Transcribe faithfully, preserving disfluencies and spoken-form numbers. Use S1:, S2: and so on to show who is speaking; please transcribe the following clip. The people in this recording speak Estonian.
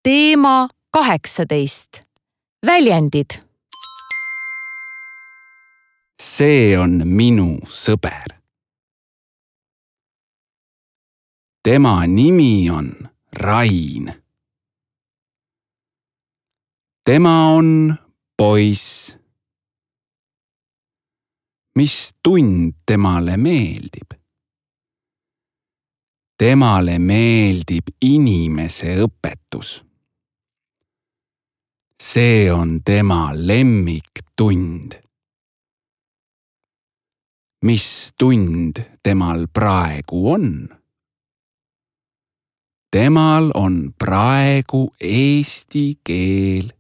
S1: Teema kaheksateist. Väljendid.
S2: See on minu sõber. Tema nimi on Rain. Tema on poiss. Mis tund temale meeldib? Temale meeldib inimese õpetus. See on tema lemmiktund. Mis tund temal praegu on? Temal on praegu eesti keel.